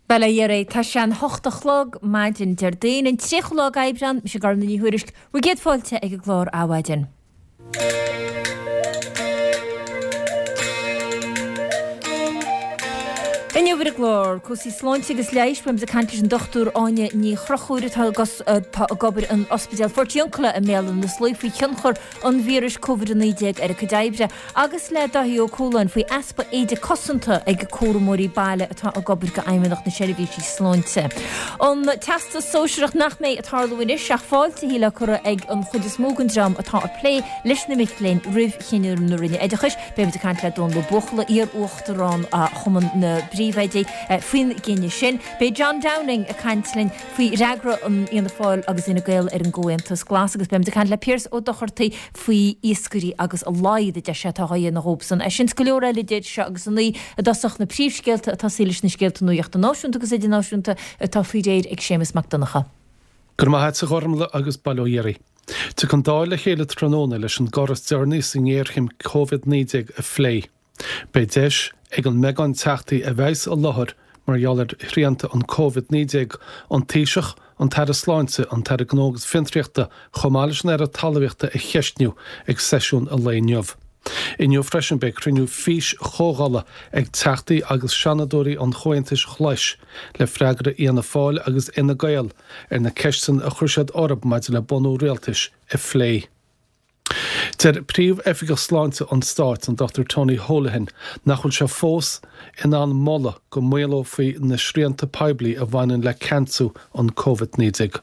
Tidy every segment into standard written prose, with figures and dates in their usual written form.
Bail ó Dhia oraibh, tá sé an hocht a chlog maidin Déardaoin, an 30ú lá d'Aibreán, mise Gormfhlaith Ní Thuairisg, bhur gcéad fáilte ag an gclár Adhmhaidin. Inniu ar an gclár, cúrsaí sláinte agus leighis, beimid ag caint leis an Dr Áine Ní Chonchúir atá ag obair in Ospidéal Phortiuncula i mBéal Átha na Sluaighe faoi thionchar an víris Covid-19 ar a cuid oibre agus le Dáithí Ó Cualáin faoi easpa éide cosanta ag cúramóirí baile atá ag obair do Fheidhmeannacht na Seirbhísí Sláinte. An Teastas Sóisearach nach mbeidh ag tarlú anois ach fáiltithe le cur ag an chuid is mó den dream atá ag plé leis na mic léinn roimh chinneadh na Roinne Oideachais. Beimid ag caint le Dónal Ó Buachalla, iar-uachtarán Chumann na bPríomhoidí, faoin gcinneadh sin. Beidh John Downing ag caint linn faoi fhreagra an Fhianna Fáil agus Fhine Gael ar an gComhaontas Glas agus beimid ag caint le Pearse Ó Dochartaigh faoi iascairí agus a laghad a deir sé atá á dhéanamh dhóibhsan. É sin is go leor eile idir seo agus a naoi i dtosach na príomhscéalta ag tosaí leis na scéalta nuachta náisiúnta agus idirnáisiúnta atá faoi réir ag Séamus Mac Donncha. Go raibh maith a't a Ghormfhlaith agus bail ó Dhia oraibh. Tiocfaidh an Dáil le chéile tráthnóna leis an gcor is deireanaí sa ngéarchéim Covid-19 a phlé. Beidh deis ag an mbeagán Teachtaí a bheas i láthair mar gheall ar shrianta an Covid-19, an Taoiseach, an tAire Sláinte, an tAire Gnó agus Fiontraíochta chomh maith leis an Aire Talmhaíochta a cheistniú ag seisiún an lae inniu. Inniu freisin beidh cruinniú fís-chomhdhála ag Teachtaí agus Seanadóirí an Chomhaontais Ghlais le freagra Fhianna Fáil agus Fhine Gael ar na ceisteanna a chuir siad orthu maidir le bunú rialtais a phlé. Deir Príomh-Oifigeach Sláinte an Stáit, an Dr Tony Holohan, nach bhfuil sé fós in ann moladh go maolófaí na srianta poiblí a bhaineann le ceansú an Covid-19.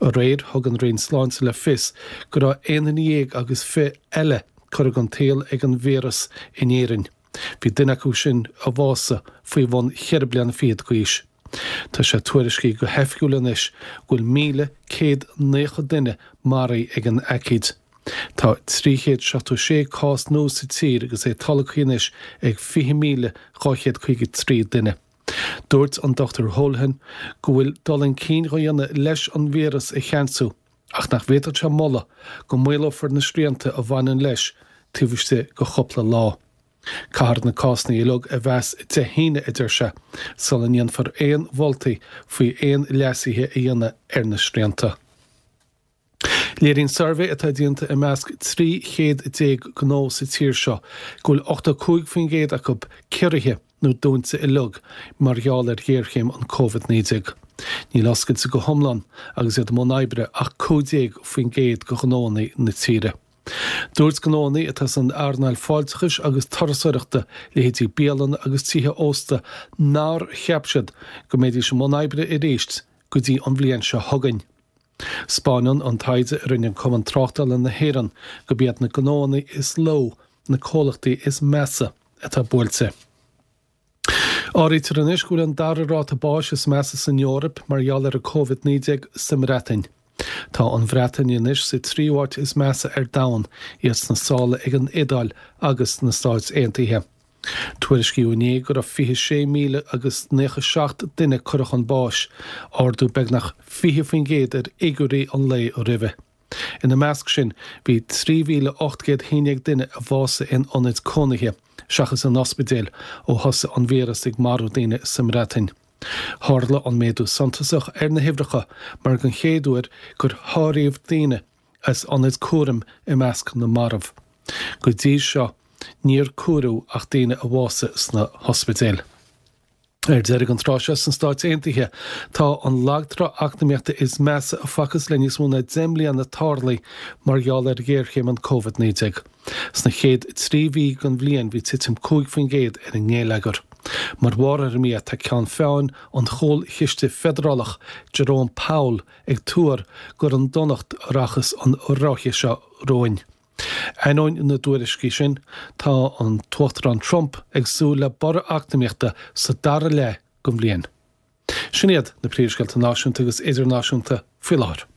Aréir, thug an Roinn Sláinte le fios go raibh aon duine dhéag agus fi eile curtha den tsaol ag an víreas in Éirinn. Bhí duine acu sin a bhásaigh faoi bhun cheithre bliana fichead d'aois. Tá sé tuairiscithe go hoifigiúil anois go bhfuil 1,190 duine maraithe ag an aicíd. Tá 376 cás nua sa tír agus é tolgtha anois ag 20,253 duine. Dúirt an Dr Holohan go bhfuil dul chun cinn á dhéanamh leis an víreas a cheansú ach nach bhféadfadh sé moladh go maolófar na srianta a bhaineann leis taobh istigh de chúpla lá. Caithfear na cásanna uilig a mheas Dé hAoine, a deir sé, sula ndéanfar aon mholtaí faoi aon leasuithe a dhéanamh ar na srianta. Léiríonn suirbhé atá déanta i measc 13 chéad gnó sa tír seo go bhfuil 85% acu ciorraithe nó dúnta uilig mar gheall ar ghéarchéim an Covid-19. Níl oscailte go hiomlán agus iad i mbun oibre ach 15% de ghnóanna na tíre. Dúirt gnóanna atá san earnáil fáilteachais agus turasóireachta, leithéidí bialanna agus tithe ósta, nár cheap siad go mbeidís i mbun oibre arís go dtí an bhliain seo chugainn. 'Spáineann an taighde a rinne Cumann Tráchtála na hÉireann gurb iad na gnóanna is lú na comhlachtaí is measa atá buailte. Áirítear anois go bhfuil an dara ráta báis is measa san Eoraip mar gheall ar an Covid-19 sa mBreatain. Tá an Bhreatain anois sa tríú háit is measa ar domhan, iad sna sála ag an Iodáil agus na Stáit Aontaithe. Tuairiscíodh inné go raibh 26,000 agus 97 duine curtha chun báis, ardú beagnach 20% ar fhigiúirí an lae roimhe. Ina measc sin, bhí 3,811 duine a bhásaigh in ionaid cónaithe, seachas in ospidéil, ó thosaigh an víreas ag marú daoine sa mBreatain. Tharla an méadú suntasach ar na huimhreacha mar den chéad uair gur háiríodh daoine as ionaid cúraim i measc na marbh. Go dtí seo, níor comhaireadh ach daoine a bhásaigh sna hospidéil. Ar deireadh, an tráth seo sna Stáit Aontaithe, tá an lagtrá eacnamaíochta is measa a facthas le níos mó ná 10 mbliana tarlaithe mar gheall ar ghéarchéim an Covid-19. Sna chéad 3 mhí den bhliain bhí titim 5% ar an ngeilleagar. Mar bharr ar an mbia tá ceann feadhain an Chúlchiste Feidearálach, Jerome Powell, ag tuar gur an donacht a rachas an ráithe seo romhainn. Ainneoin na dtuairiscí sin, tá an tUachtarán Trump ag súil le borradh eacnamaíochta sa dara leath den bhliain. Sin iad na príomhscéalta náisiúnta agus idirnáisiúnta faoi láthair.